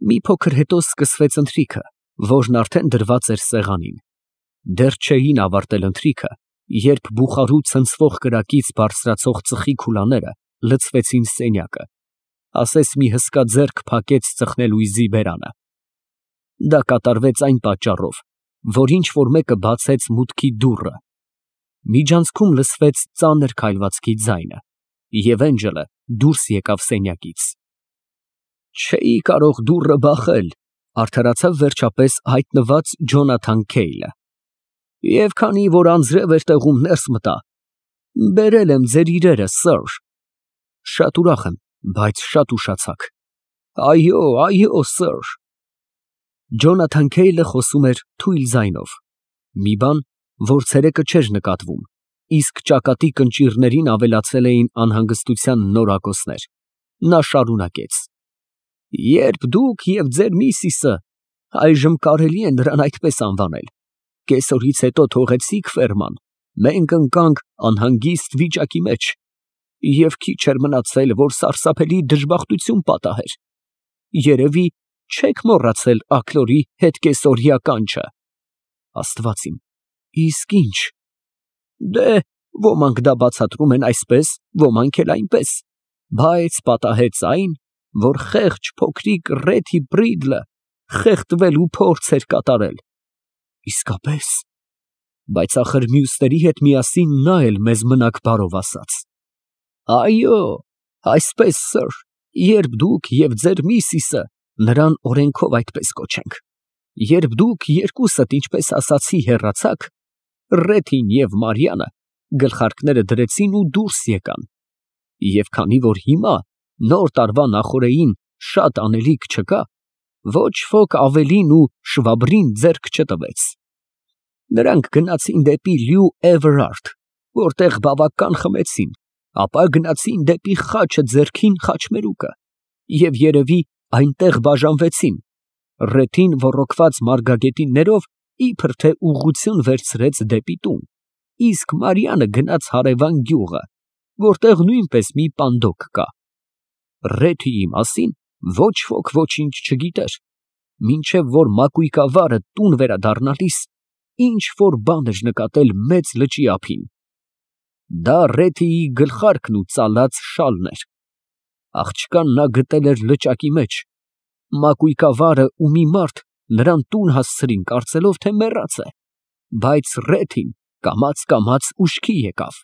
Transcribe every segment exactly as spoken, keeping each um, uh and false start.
Մի փոքր հետո սկսվեց ընթրիքը, որն արդեն դրված էր սեղանին։ Դեռ չէին ավարտել ընթրիքը, երբ բուխարու ցնցվող կրակից բարձրացող ծխի քուլաները լցվեցին սենյակը, ասես մի հսկա ձեռք փակեց ծխնելույզի բերանը։ Դա կատարվեց այն պատճառով, որ ինչ֊որ մեկը բացեց մուտքի դուռը։ Միջանցքում լսվեց ծանր քայլվածքի ձայնը, և Էնջելը դուրս եկավ սենյակից։ «Չէի կարող դուռը բախել», արդարացավ վերջապես հայտնված Ջոնաթան Քեյլը։ «Եվ քանի որ անձրև էր տեղում ներս մտա, բերել եմ ձեր իրերը, սըր»։ «Շատ ուրախ եմ, բայց շատ ուշացաք»։ «Այո, այո, սըր»։ Ջոնաթան Քեյլը խոսում էր թույլ ձայնով, մի բան, որ ցերեկը չէր նկատվում, իսկ ճակատի կնճիռներին ավելացել էին անհանգստության նորակոսներ։ Նա շարունակեց. «Երբ դուք և ձեր միսիսը (այժմ կարելի է նրան այդպես անվանել) կեսօրից հետո թողեցիք ֆերման, մենք ընկանք անհանգիստ վիճակի մեջ, և քիչ էր մնացել, որ սարսափելի դժբախտություն պատահեր։ Երևի չեք մոռացել աքլորի հետկեսօրյա կանչը։ Աստված իմ, իսկ ի՞նչ։ Դե, ոմանք դա բացատրում են այսպես, ոմանք էլ այնպես, բայց պատահեց այն, որ խեղճ փոքրիկ Ռեթի Բրիդլը խեղդվելու փորձ էր կատարել։ Իսկապես։ Բայց ախր մյուսների հետ միասին նա էլ մեզ մնաք բարով ասաց։ Այո, այսպես, սըր, երբ դուք և ձեր միսիսը նրան օրենքով այդպես կոչենք, երբ դուք երկուսդ, ինչպես ասացի, հեռացաք, Ռեթին և Մարիանը գլխարկները դրեցին ու դուրս եկան, և քանի որ հիմա նոր տարվա նախօրեին շատ անելիք չկա, ոչ ոք ավելին ու շվաբրին ձեռք չտվեց։ Նրանք գնացին դեպի Լյու Էվերարդ, որտեղ բավական խմեցին, ապա գնացին դեպի խաչը ձեռքին խաչմերուկը, և երևի այնտեղ բաժանվեցին, Ռեթին ոռոգված մարգագետիններով իբր թե ուղղություն վերցրեց դեպի տուն, իսկ Մարիանը գնաց հարևան գյուղը, որտեղ նույնպես մի պանդոկ կա։ Ռեթիի մասին ոչ ոք ոչինչ չգիտեր, մինչև որ մակույկավարը տուն վերադառնալիս ինչ֊որ բան էր նկատել մեծ լճի ափին։ Դա Ռեթիի գլխարկն ու ծալած շալն էր։ Աղջկան նա գտել էր լճակի մեջ, մակույկավարը ու մի մարդ նրան տուն հասցրին, կարծելով, թե մեռած է, բայց Ռեթին կամաց֊կամաց ուշքի եկավ։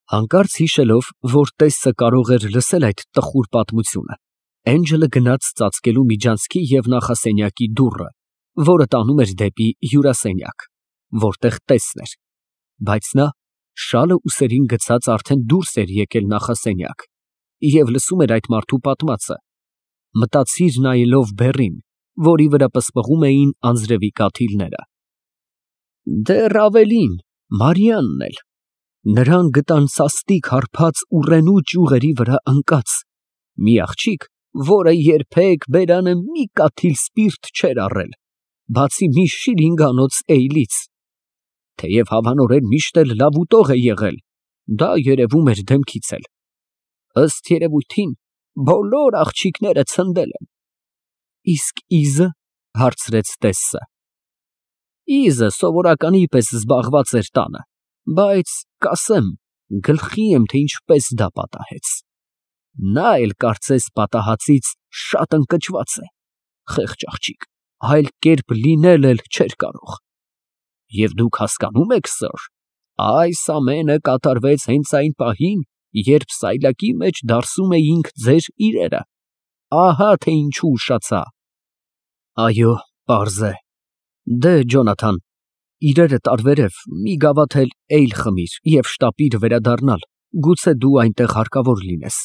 Հանկարծ հիշելով, որ տեսը կարող էր լսել այդ տխուր պատմությունը, Էնջելը գնաց ծածկելու միջանցքի և նախասենյակի դուռը, որը տանում էր դեպի հյուրասենյակ, որտեղ տեսն էր, բայց նա շալը ուսերին գցած արդեն դուրս էր եկել նախասենյակ և լսում էր այդ մարդու պատմածը, մտածիր նայելով բեռին, որի վրա պսպղում էին անձրևի կաթիլները։ Դեռ ավելին, Մարիանն էլ, նրան գտան սաստիկ հարբած ուռենու ճյուղերի վրա ընկած, մի աղջիկ, որը երբեք բերանը մի կաթիլ սպիրտ չէր առել, բացի մի շիլինգանոց էյլից, թեև հավանորեն միշտ էլ լավ ուտող է եղել, դա երևում էր դեմքից էլ, ըստ երևույթին, բոլոր աղջիկները ցնդել են։ Իսկ Իզը, հարցրեց տեսը։ Իզը սովորականի պես զբաղված էր տանը, բայց կասեմ, գլխի եմ, թե ինչպես դա պատահեց։ Նա էլ կարծես պատահածից շատ ընկճված է, խեղճ աղջիկ, այլ կերպ լինել էլ չէր կարող։ Եվ դուք հասկանում եք, սըր, այս ամենը կատարվեց հենց այն պահին, երբ սայլակի մեջ դարսում էինք ձեր իրերը, ահա թե ինչու ուշացա։ Այո, պարզ է։ Դե, Ջոնաթան, իրերը տարվերև մի գավաթ էլ էյլ խմիր և շտապիր վերադառնալ, գուցե դու այնտեղ հարկավոր լինես։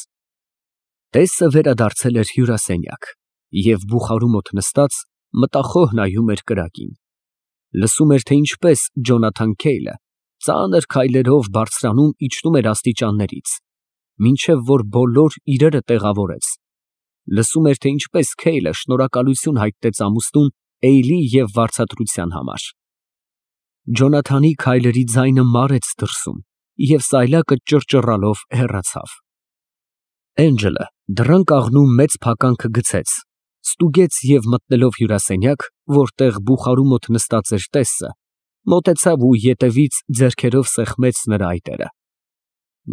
Տեսը վերադարձել էր հյուրասենյակ և բուխարու մոտ նստած մտախոհ նայում էր կրակին։ Լսում էր, թե ինչպես Ջոնաթան Քեյլը ծանր քայլերով բարձրանում իջնում էր աստիճաններից, մինչև որ բոլոր իրերը տեղավորեց։ Լսում էր, թե ինչպես Քեյլը շնորհակալություն հայտնեց ամուսնուն էյլի և վարձատրության համար։ Ջոնաթանի քայլերի ձայնը մարեց դրսում, և սայլակը ճռճռալով հեռացավ։ Էնջելը դռան կաղնու մեծ փականքը գցեց, Ստուգեց և մտնելով հյուրասենյակ, որտեղ բուխարու մոտ նստած էր տեսը, մոտեցավ ու ետևից ձեռքերով սեղմեց նրա այտերը։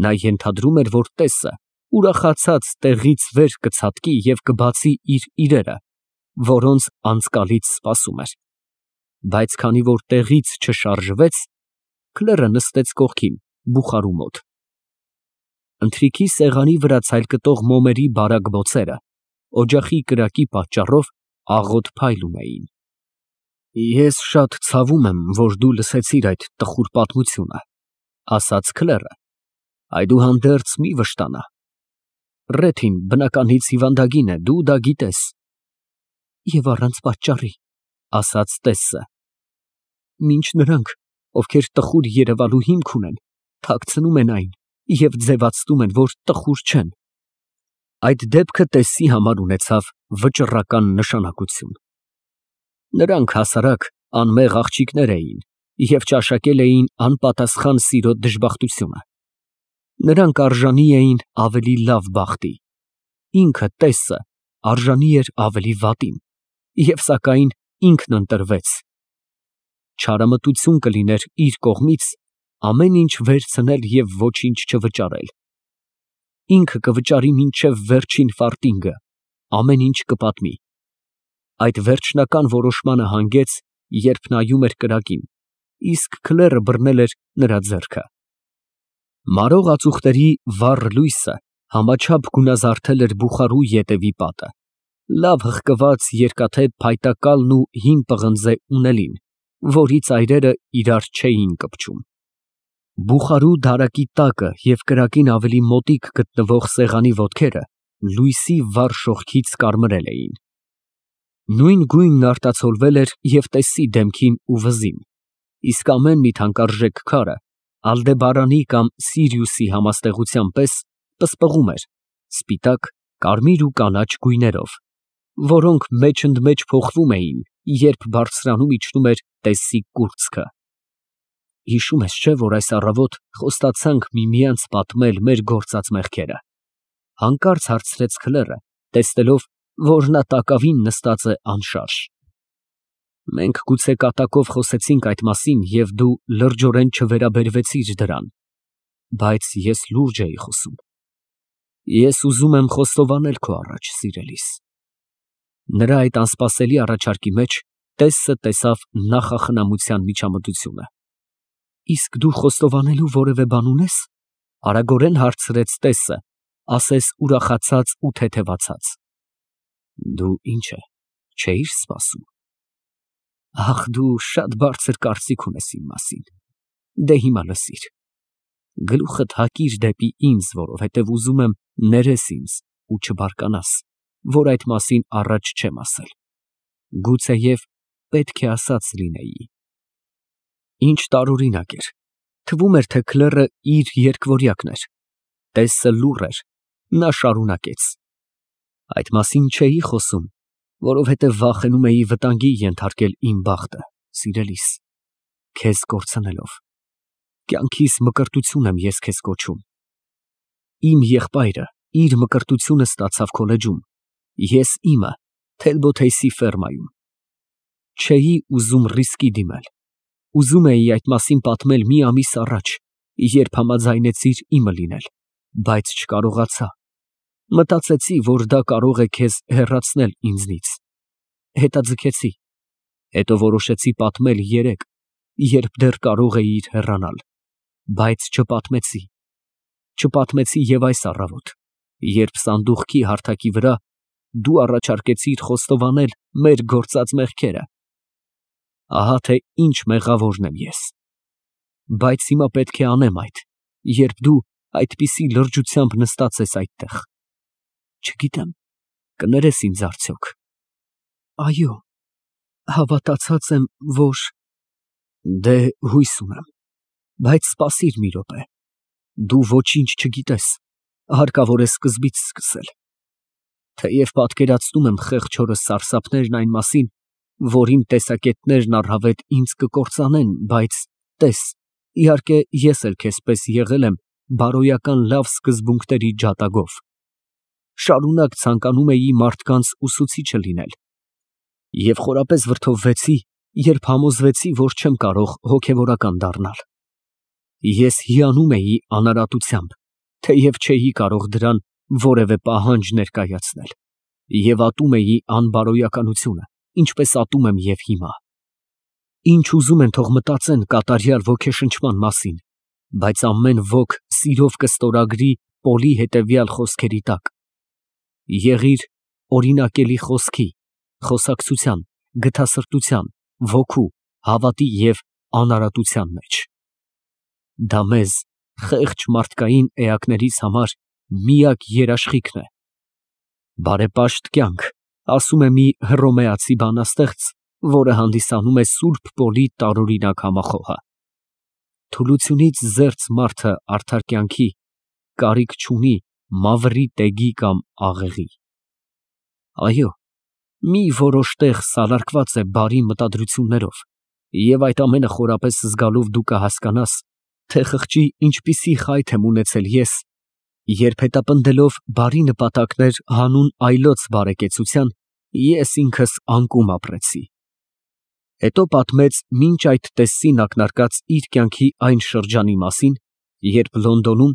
Նա ենթադրում էր, որ տեսը ուրախացած տեղից վեր կցատկի և կբացի իր իրերը, որոնց անցկալից սպասում էր, բայց քանի որ տեղից չշարժվեց, քլերը նստեց կողքին, բուխարու մոտ։ Ընթրիքի սեղանի վրա ցայլկտող մոմերի բարակ բոցերը օջախի կրակի պատճառով աղոտ փայլում էին։ Ես շատ ցավում եմ, որ դու լսեցիր այդ տխուր պատմությունը, ասաց քլերը, այդուհանդերձ մի վշտանա։ Ռեթին բնականից հիվանդագին է, դու դա գիտես։ Եվ առանց պատճառի, ասաց տեսը։ Մինչ նրանք, ովքեր տխուր երևալու հիմք ունեն, թաքցնում են այն և ձևացնում են, որ տխուր չեն։ Այդ դեպքը տեսի համար ունեցավ վճռական նշանակություն։ Նրանք հասարակ անմեղ աղջիկներ էին և ճաշակել էին անպատասխան սիրո դժբախտությունը։ Նրանք արժանի էին ավելի լավ բախտի, ինքը տեսը արժանի էր ավելի վատին, և սակայն ինքն ընտրվեց։ Չարամտություն կլիներ իր կողմից ամեն ինչ վերցնել և ոչինչ չվճարել։ Ինքը կվճարի մինչև վերջին ֆարտինգը, ամեն ինչ կպատմի։ Այդ վերջնական որոշմանը հանգեց, երբ նայում էր կրակին, իսկ քլերը բռնել էր նրա ձեռքը։ Մարող ածուխների վառ լույսը համաչափ գունազարդել էր բուխարու ետևի պատը, լավ հղկված երկաթե փայտակալն ու հին պղնձե ունելին, որի ծայրերը իրար չէին կպչում։ Բուխարու դարակի տակը և կրակին ավելի մոտիկ գտնվող սեղանի ոտքերը լույսի վառ շողքից կարմրել էին։ Նույն գույնն արտացոլվել էր և տեսի դեմքին ու վզին, իսկ ամեն մի թանկարժեք քարը Ալդեբարանի կամ Սիրիուսի համաստեղության պես պսպղում էր սպիտակ, կարմիր ու կանաչ գույներով, որոնք մեջընդմեջ փոխվում էին, երբ բարձրանում իջնում էր տեսի կուրծքը։ Հիշում ես, չէ՞, որ այս առավոտ խոստացանք միմյանց պատմել մեր գործած մեղքերը, հանկարծ հարցրեց քլերը, տեսնելով, որ նա տակավին նստած է անշարժ։ Մենք գուցե կատակով խոսեցինք այդ մասին և դու լրջորեն չվերաբերվեցիր դրան, բայց ես լուրջ էի խոսում։ Ես ուզում եմ խոստովանել քո առաջ, սիրելիս։ Նրա այդ անսպասելի առաջարկի մեջ տեսը տեսավ նախախնամության միջամտությունը։ Իսկ դու խոստովանելու որևէ բան ունե՞ս, արագորեն հարցրեց տեսը, ասես ուրախացած ու թեթևացած։ Դու ինչ է, չէի՞ր սպասում։ Ախ, դու շատ բարձր կարծիք ունես իմ մասին։ Դե հիմա լսիր։ Գլուխդ հակիր դեպի ինձ, որովհետև ուզում եմ ներես ինձ ու չբարկանաս, որ այդ մասին առաջ չեմ ասել։ Գուցեև պետք է ասած լինեի։ Ինչ տարօրինակ էր, թվում էր, թե քլերը իր երկվորյակն էր։ Տեսը լուռ էր, նա շարունակեց. Այդ մասին չէի խոսում, որովհետև վախենում էի վտանգի ենթարկել իմ բախտը, սիրելիս, քեզ կորցնելով։ Կյանքիս մկրտություն եմ ես քեզ կոչում։ Իմ եղբայրը իր մկրտությունը ստացավ քոլեջում, ես իմը Թելբոթեյսի ֆերմայում։ Չէի ուզում ռիսկի դիմել։ Ուզում էի այդ մասին պատմել մի ամիս առաջ, երբ համաձայնեցիր իմը լինել, բայց չկարողացա։ Մտածեցի, որ դա կարող է քեզ հեռացնել ինձնից։ Հետաձգեցի։ Հետո որոշեցի պատմել երեկ, երբ դեռ կարող էիր հեռանալ, բայց չպատմեցի։ Չպատմեցի և այս առավոտ, երբ սանդուղքի հարթակի վրա դու առաջարկեցիր խոստովանել մեր գործած մեղքերը։ Ահա թե ինչ մեղավորն եմ ես։ Բայց հիմա պետք է անեմ այդ, երբ դու այդպիսի լրջությամբ նստած ես այդտեղ։ Չգիտեմ, կներես ինձ արդյոք։ Այո, հավատացած եմ, որ… Դե հույս ունեմ, բայց սպասիր մի րոպե։ Դու ոչինչ չգիտես, հարկավոր է սկզբից սկսել։ Թեև պատկերացնում եմ խեղճ հորս սարսափներն այն մասին, որ իմ տեսակետներն առհավետ ինձ կկործանեն, բայց տես, իհարկե ես էլ քեզ պես եղել եմ բարոյական լավ սկզբունքների ջատագով։ շարունակ ցանկանում էի մարդկանց ուսուցիչը լինել և խորապես վրդովվեցի, երբ համոզվեցի, որ չեմ կարող հոգևորական դառնալ։ Ես հիանում էի անարատությամբ, թեև չէի կարող դրան որևէ պահանջ ներկայացնել, և ատում էի անբարոյականությունը, ինչպես ատում եմ և հիմա։ Ինչ ուզում են թող մտածեն կատարյալ ոգեշնչման մասին, բայց ամեն ոք սիրով կստորագրի Պոլի հետևյալ խոսքերի տակ. եղիր օրինակելի խոսքի, խոսակցության, գթասրտության, ոգու, հավատի և անարատության մեջ։ Դա մեզ, խեղճ մարդկային էակներից համար միակ երաշխիքն է։ Բարեպաշտ կյանք, ասում է մի հռոմեացի բանաստեղծ, որը հանդիսանում է Սուրբ Պոլի տարօրինակ համախոհը։ Թուլությունից զերծ մարդը արդար կյանքի կարիք չունի մավրի տեգի կամ աղեղի։ Այո, մի որոշ տեղ սալարկված է բարի մտադրություններով, և այդ ամենը խորապես զգալով դու կհասկանաս, թե խղճի ինչպիսի խայթ եմ ունեցել ես, երբ հետապնդելով բարի նպատակներ հանուն այլոց բարեկեցության, ես ինքս անկում ապրեցի։ Հետո պատմեց մինչ այդ տեսցին ակնարկած իր կյանքի այն շրջանի մասին, երբ Լոնդոնում,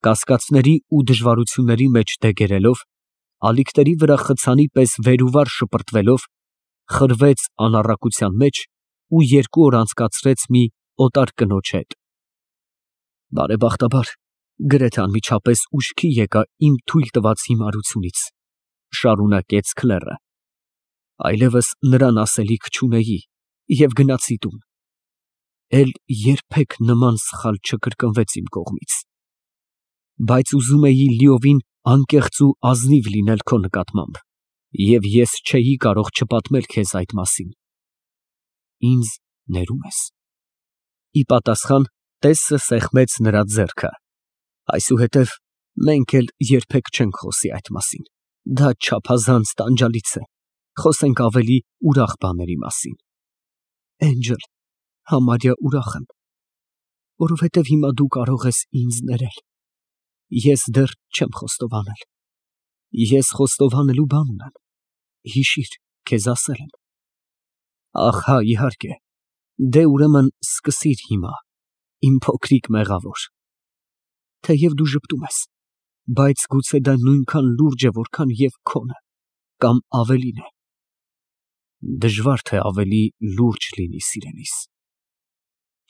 կասկածների ու դժվարությունների մեջ դեգերելով, ալիքների վրա խցանի պես վեր ու վար շպրտվելով, խրվեց անառակության մեջ ու երկու օր անցկացրեց մի օտար կնոջ հետ։ Բարեբախտաբար, գրեթե անմիջապես ուշքի եկա իմ թույլ տված հիմարությունից, շարունակեց քլեռը, այլևս նրան ասելիք չունեի և գնացի տուն, էլ երբեք նման սխալ չկրկնվեց իմ կողմից, բայց ուզում էի լիովին անկեղծ ու ազնիվ լինել քո նկատմամբ, և ես չէի կարող չպատմել քեզ այդ մասին։ Ինձ ներում ես։ Ի պատասխան տեսը սեղմեց նրա ձեռքը։ Այսուհետև մենք էլ երբեք չենք խոսի այդ մասին, դա չափազանց տանջալից է, խոսենք ավելի ուրախ բաների մասին։ Էնջլ, համարյա ուրախ եմ, որովհետև հիմա դու կարող ես ինձ ներել, ես դեռ չեմ խոստովանել։ Ես խոստովանելու բան ունեմ, հիշիր, քեզ ասել եմ։ Ահ հա, իհարկե, դե ուրեմն սկսիր հիմա, իմ փոքրիկ մեղավոր։ Թեև դու ժպտում ես, բայց գուցե դա նույնքան լուրջ է, որքան և քոնը, կամ ավելին է։ Դժվար թե ավելի լուրջ լինի, սիրելիս։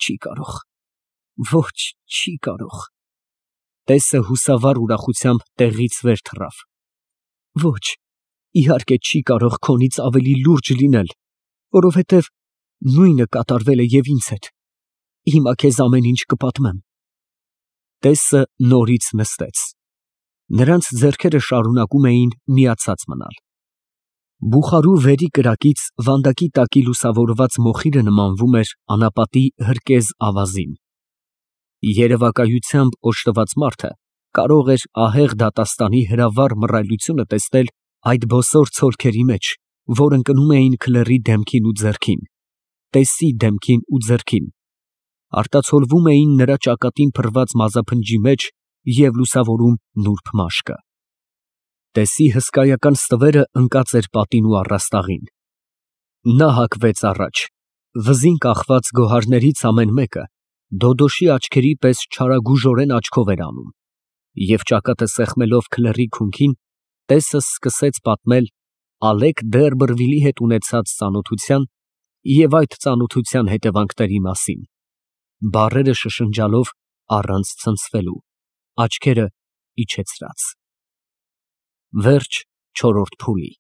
Չի կարող, ոչ, չի կարող։ Տեսը հուսավառ ուրախությամբ տեղից վեր թռավ։ Ոչ, իհարկե չի կարող քոնից ավելի լուրջ լինել, որովհետև նույնը կատարվել է և ինձ հետ։ Հիմա քեզ ամեն ինչ կպատմեմ։ Տեսը նորից նստեց։ Նրանց ձեռքերը շարունակում էին միացած մնալ։ Բուխարու վերի կրակից վանդակի տակի լուսավորված մոխիրը նմանվում էր անապատի հրկեզ ավազին։ Երևակայությամբ օժտված մարդը կարող էր ահեղ դատաստանի հրավառ մռայլությունը տեսնել այդ բոսոր ցոլքերի մեջ, որ ընկնում էին քլեռի դեմքին ու ձեռքին, տեսի դեմքին ու ձեռքին, արտացոլվում էին նրա ճակատին փռված մազափնջի մեջ և լուսավորում նուրբ մաշկը։ Տեսի հսկայական ստվերը ընկած էր պատին ու առաստաղին։ Նա հակվեց առաջ, վզին կախված գոհարներից ամեն մեկը դոդոշի աչքերի պես չարագուժորեն աչքով էր անում, և ճակատը սեղմելով քլեռի քունքին, տեսը սկսեց պատմել Ալեկ Դերբերվիլի հետ ունեցած ծանոթության և այդ ծանոթության հետևանքների մասին, բառերը շշնջալով առանց ցնցվելու, աչքերը իջեցրած։ Վերջ չորրորդ փուլի։